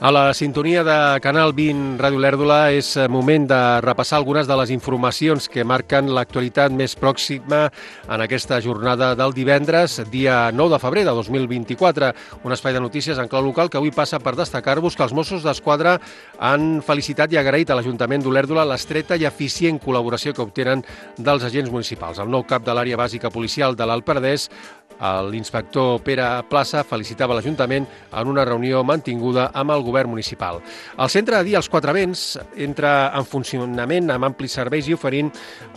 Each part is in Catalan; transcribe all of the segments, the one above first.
A la sintonia de Canal 20 Ràdio Lèrdula és moment de repassar algunes de les informacions que marquen l'actualitat més pròxima en aquesta jornada del divendres, dia 9 de febrer de 2024. Un espai de notícies en clau local que avui passa per destacar-vos que els Mossos d'Esquadra han felicitat i agraït a l'Ajuntament d'Olèrdola l'estreta i eficient col·laboració que obtenen dels agents municipals. El nou cap de l'àrea bàsica policial de l'Alt Penedès, l'inspector Pere Plaça, felicitava l'Ajuntament en una reunió mantinguda amb el govern municipal. El centre de dia als Quatre Vents entra en funcionament amb amplis serveis i oferint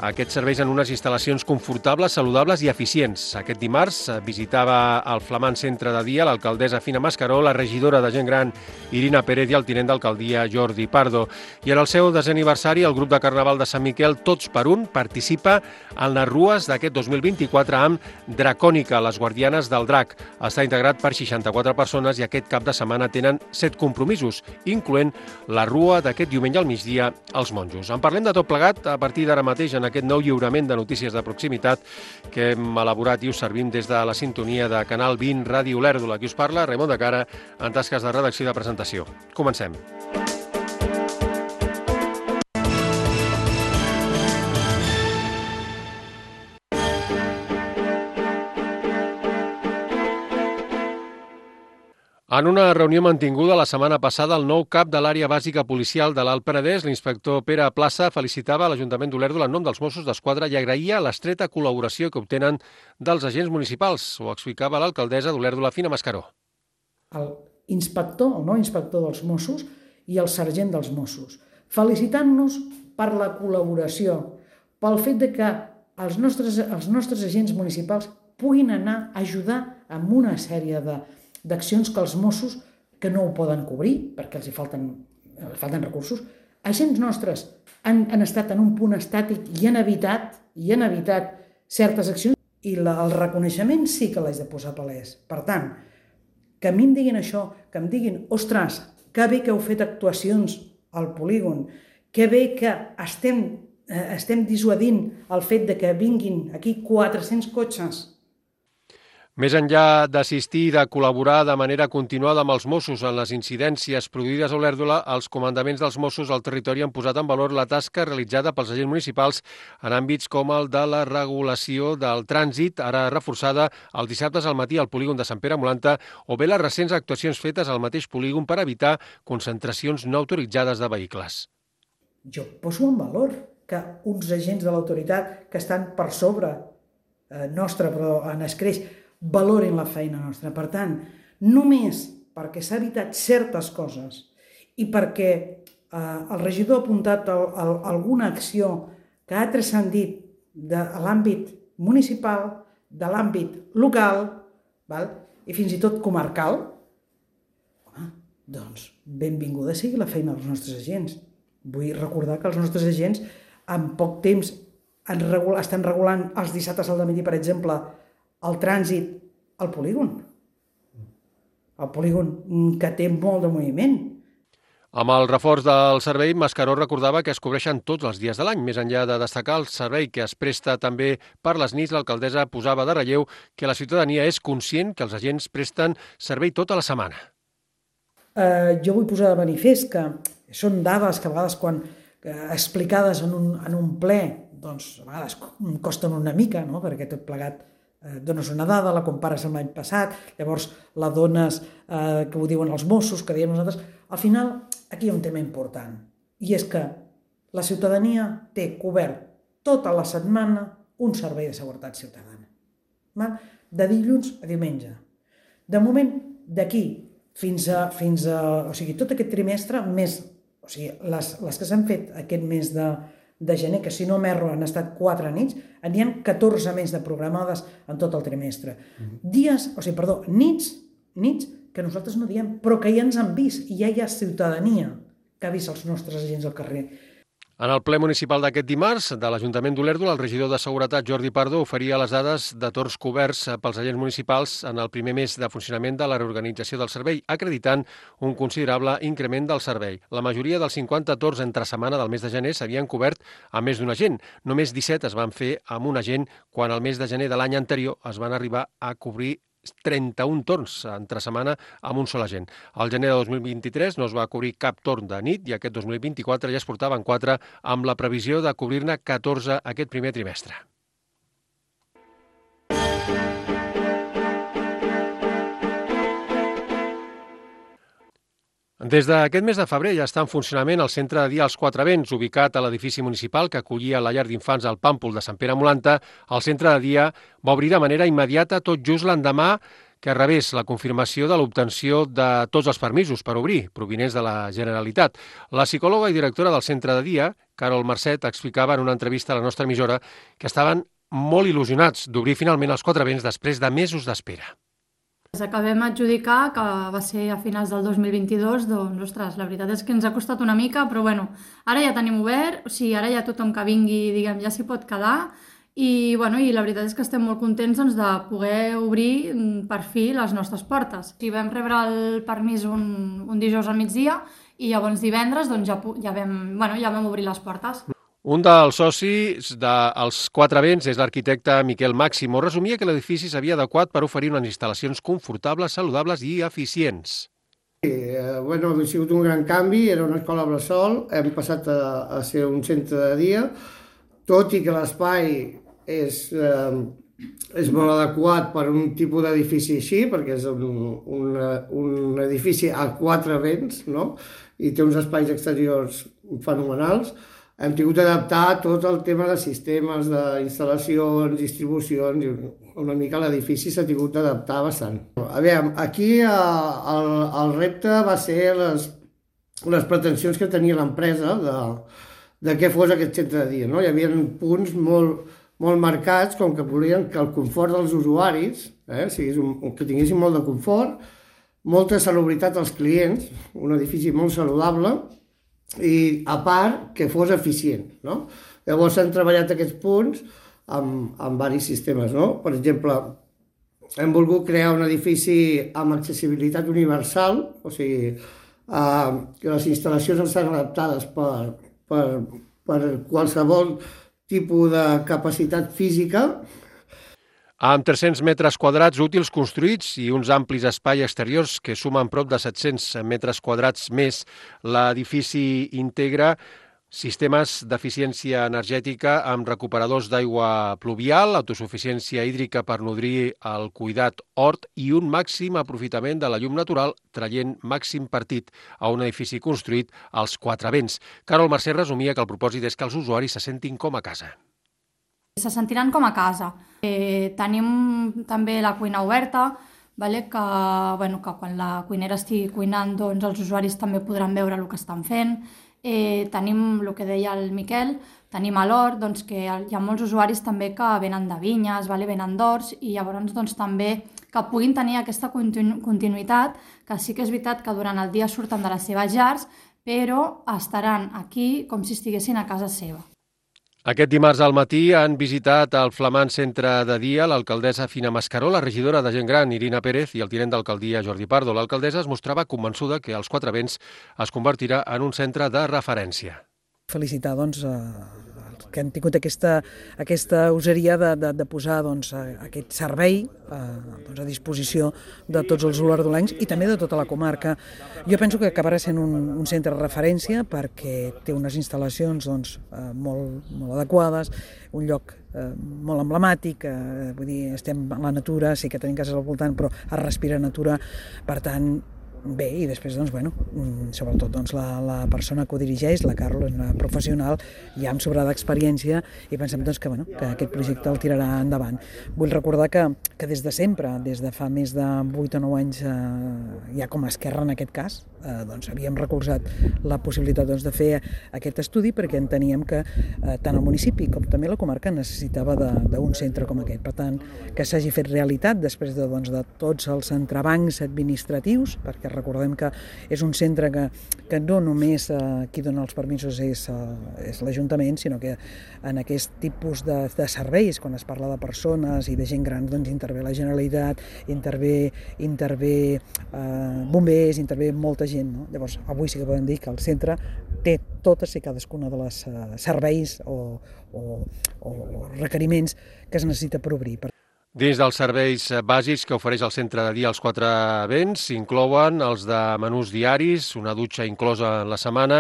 aquests serveis en unes instal·lacions confortables, saludables i eficients. Aquest dimarts visitava el flamant centre de dia l'alcaldessa Fina Mascaró, la regidora de Gent Gran Irina Pérez i el tinent d'alcaldia Jordi Pardo. I en el seu desè aniversari, el grup de Carnaval de Sant Miquel, Tots per un, participa en les rues d'aquest 2024 amb Dracònica, les guardianes del Drac. Està integrat per 64 persones i aquest cap de setmana tenen 7 compromisos, incloent la rua d'aquest diumenge al migdia als monjos. En parlem de tot plegat a partir d'ara mateix en aquest nou lliurament de notícies de proximitat que hem elaborat i us servim des de la sintonia de Canal 20 Ràdio Lèrdula. Qui us parla, Raimon de Cara, en tasques de redacció i de presentació. Comencem. En una reunió mantinguda la setmana passada, el nou cap de l'àrea bàsica policial de l'Alt Penedès, l'inspector Pere Plaça, felicitava l'Ajuntament d'Olèrdola en nom dels Mossos d'Esquadra i agraïa l'estreta col·laboració que obtenen dels agents municipals. Ho explicava l'alcaldessa d'Olèrdola, Fina Mascaró. L'inspector, el nou inspector dels Mossos i el sergent dels Mossos, felicitant-nos per la col·laboració, pel fet de que els nostres agents municipals puguin anar a ajudar amb una sèrie d'accions que els Mossos, que no ho poden cobrir, perquè els falten recursos, agents nostres han estat en un punt estàtic i han evitat certes accions i el reconeixement sí que l'haig de posar palès. Per tant, que a mi em diguin això, que em diguin, ostres, que bé que heu fet actuacions al polígon, que bé que estem dissuadint el fet de que vinguin aquí 400 cotxes. Més enllà d'assistir i de col·laborar de manera continuada amb els Mossos en les incidències produïdes a Olèrdola, els comandaments dels Mossos al territori han posat en valor la tasca realitzada pels agents municipals en àmbits com el de la regulació del trànsit, ara reforçada els dissabtes al matí al polígon de Sant Pere Molanta, o bé les recents actuacions fetes al mateix polígon per evitar concentracions no autoritzades de vehicles. Jo poso en valor que uns agents de l'autoritat que estan per sobre nostra, però en escreix, valorin la feina nostra. Per tant, només perquè s'ha evitat certes coses i perquè el regidor ha apuntat alguna acció que ha transcendit de l'àmbit municipal, de l'àmbit local, i fins i tot comarcal, doncs benvinguda sigui la feina dels nostres agents. Vull recordar que els nostres agents en poc temps estan regulant els dissabtes al matí, per exemple, el trànsit al polígon. El polígon que té molt de moviment. Amb el reforç del servei, Mascaró recordava que es cobreixen tots els dies de l'any. Més enllà de destacar el servei que es presta també per les nits, l'alcaldessa posava de relleu que la ciutadania és conscient que els agents presten servei tota la setmana. Jo vull posar de manifest que són dades que a vegades quan explicades en un ple, doncs a vegades costen una mica, no? Perquè tot plegat dones una dada, la compares amb l'any passat, llavors la dones que ho diuen els Mossos, que diem nosaltres. Al final, aquí hi ha un tema important, i és que la ciutadania té cobert tota la setmana un servei de seguretat ciutadana. De dilluns a diumenge. De moment, d'aquí fins a o sigui, tot aquest trimestre, o sigui, les que s'han fet aquest mes de gener, que si no m'erro han estat 4 nits, n'hi ha 14 més de programades en tot el trimestre. Nits que nosaltres no diem, però que ja ens han vist i ja hi ha ciutadania que ha vist els nostres agents al carrer. En el ple municipal d'aquest dimarts de l'Ajuntament d'Olèrdola, el regidor de Seguretat, Jordi Pardo, oferia les dades de torns coberts pels agents municipals en el primer mes de funcionament de la reorganització del servei, acreditant un considerable increment del servei. La majoria dels 50 torns entre setmana del mes de gener s'havien cobert amb més d'un agent. Només 17 es van fer amb un agent, quan el mes de gener de l'any anterior es van arribar a cobrir 31 torns entre setmana amb un sol agent. Al gener de 2023 no es va cobrir cap torn de nit i aquest 2024 ja es portaven 4 amb la previsió de cobrir-ne 14 aquest primer trimestre. Des d'aquest mes de febrer ja està en funcionament el centre de dia als Quatre Vents, ubicat a l'edifici municipal que acollia la llar d'infants al Pàmpol de Sant Pere Molanta. El centre de dia va obrir de manera immediata tot just l'endemà que rebés la confirmació de l'obtenció de tots els permisos per obrir, provinents de la Generalitat. La psicòloga i directora del centre de dia, Carol Marcet, explicava en una entrevista a la nostra emissora que estaven molt il·lusionats d'obrir finalment els Quatre Vents després de mesos d'espera. Ens acabem adjudicar, que va ser a finals del 2022, doncs, ostres, la veritat és que ens ha costat una mica, però bueno, ara ja tenim obert, o sigui, ara ja tothom que vingui, diguem, ja s'hi pot quedar, i la veritat és que estem molt contents doncs, de poder obrir per fi les nostres portes. I vam rebre el permís un dijous al migdia, i llavors divendres doncs, ja vam obrir les portes. Un dels socis dels Quatre Vents és l'arquitecte Miquel Màximo. Resumia que l'edifici s'havia adequat per oferir unes instal·lacions confortables, saludables i eficients. Ha sigut un gran canvi, era una escola bressol, hem passat a ser un centre de dia, tot i que l'espai és molt adequat per un tipus d'edifici així, perquè és un edifici a quatre vents, no? I té uns espais exteriors fenomenals. Hem tingut d'adaptar tot el tema de sistemes, d'instal·lacions, distribucions, i una mica l'edifici s'ha tingut d'adaptar bastant. Aquí el repte va ser les pretensions que tenia l'empresa de què fos aquest centre de dia. No? Hi havia punts molt marcats, com que volien que el confort dels usuaris, que tinguessin molt de confort, molta salubritat als clients, un edifici molt saludable, i a part que fos eficient. No? Llavors s'han treballat aquests punts amb diversos sistemes. No? Per exemple, hem volgut crear un edifici amb accessibilitat universal, o sigui, que les instal·lacions estan adaptades per qualsevol tipus de capacitat física. Amb 300 metres quadrats útils construïts i uns amplis espais exteriors que sumen prop de 700 metres quadrats més, l'edifici integra sistemes d'eficiència energètica amb recuperadors d'aigua pluvial, autosuficiència hídrica per nodrir el cuidat hort i un màxim aprofitament de la llum natural, traient màxim partit a un edifici construït als Quatre Vents. Carol Mercè resumia que el propòsit és que els usuaris se sentin com a casa. Se sentiran com a casa. Tenim també la cuina oberta, que quan la cuinera estigui cuinant, doncs els usuaris també podran veure el que estan fent. Tenim el que deia el Miquel, tenim a l'hort, doncs, que hi ha molts usuaris també que venen de vinyes, venen d'horts, i llavors doncs, també que puguin tenir aquesta continuïtat, que sí que és veritat que durant el dia surten de les seves llars, però estaran aquí com si estiguessin a casa seva. Aquest dimarts al matí han visitat el flamant centre de dia l'alcaldessa Fina Mascaró, la regidora de Gent Gran Irina Pérez i el tinent d'alcaldia Jordi Pardo. L'alcaldessa es mostrava convençuda que els Quatre Vents es convertirà en un centre de referència. Felicitar els que han tingut aquesta oseria de posar aquest servei a disposició de tots els olordolencs i també de tota la comarca. Jo penso que acabarà sent un centre de referència perquè té unes instal·lacions molt adequades, un lloc molt emblemàtic, vull dir, estem a la natura, sí que tenim cases al voltant, però es respira natura, per tant, bé, i després, sobretot, la persona que ho dirigeix, la Carol, és una professional ja amb sobrada experiència i pensem que aquest projecte el tirarà endavant. Vull recordar que des de sempre, des de fa més de 8 o 9 anys, ja com a Esquerra en aquest cas, havíem recolzat la possibilitat de fer aquest estudi perquè enteníem que tant el municipi com també la comarca necessitava d'un centre com aquest. Per tant, que s'hagi fet realitat després de tots els entrebancs administratius, perquè recordem que és un centre que no només qui dona els permisos és l'Ajuntament, sinó que en aquest tipus de serveis, quan es parla de persones i de gent gran, intervé la Generalitat, intervé bombers, intervé molta gent. No? Llavors, avui sí que podem dir que el centre té totes i cadascuna de les serveis o requeriments que es necessita per obrir. Dins dels serveis bàsics que ofereix el centre de dia als Quatre Vents s'inclouen els de menús diaris, una dutxa inclosa en la setmana,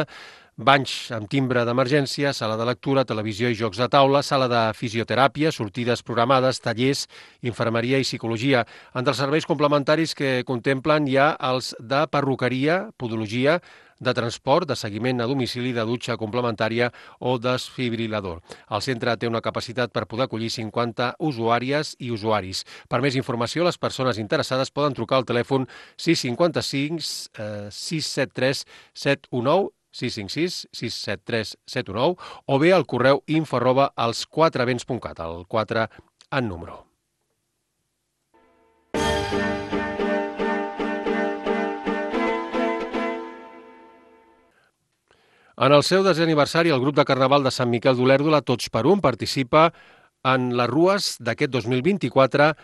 banys amb timbre d'emergència, sala de lectura, televisió i jocs de taula, sala de fisioteràpia, sortides programades, tallers, infermeria i psicologia. Entre els serveis complementaris que contemplen hi ha els de perruqueria, podologia, de transport, de seguiment a domicili, de dutxa complementària o desfibrilador. El centre té una capacitat per poder acollir 50 usuàries i usuaris. Per més informació, les persones interessades poden trucar al telèfon 655 673 719 656 673 719 o bé al correu info@elsquatrevents.cat, el 4 en número. En el seu desè aniversari, el grup de Carnaval de Sant Miquel d'Olèrdola, Tots per Un, participa en les rues d'aquest 2024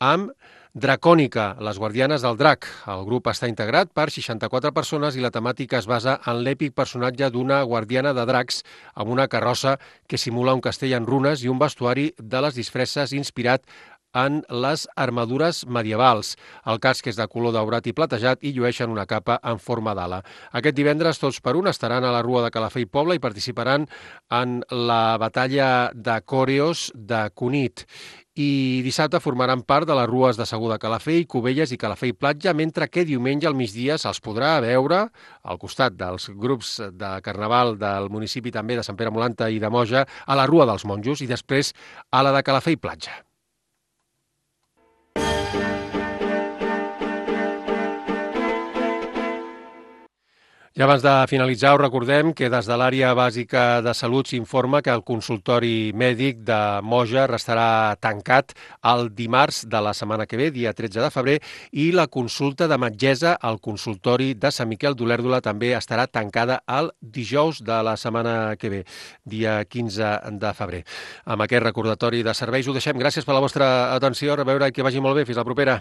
amb Dracònica, les guardianes del drac. El grup està integrat per 64 persones i la temàtica es basa en l'èpic personatge d'una guardiana de dracs amb una carrossa que simula un castell en runes i un vestuari de les disfresses inspirat en les armadures medievals. El casc és de color daurat i platejat i llueixen una capa en forma d'ala. Aquest divendres, Tots per Un estaran a la Rua de Calafell Poble i participaran en la batalla de Còreos de Cunit. I dissabte formaran part de les rues de Segur de Calafell, Cubelles i Calafell Platja, mentre que diumenge al migdia se'ls podrà veure al costat dels grups de Carnaval del municipi també de Sant Pere Molanta i de Moja a la Rua dels Monjos i després a la de Calafell Platja. I abans de finalitzar, us recordem que des de l'àrea bàsica de salut s'informa que el consultori mèdic de Moja restarà tancat el dimarts de la setmana que ve, dia 13 de febrer, i la consulta de metgessa al consultori de Sant Miquel d'Olèrdola també estarà tancada el dijous de la setmana que ve, dia 15 de febrer. Amb aquest recordatori de serveis ho deixem. Gràcies per la vostra atenció. A veure, que vagi molt bé. Fins la propera.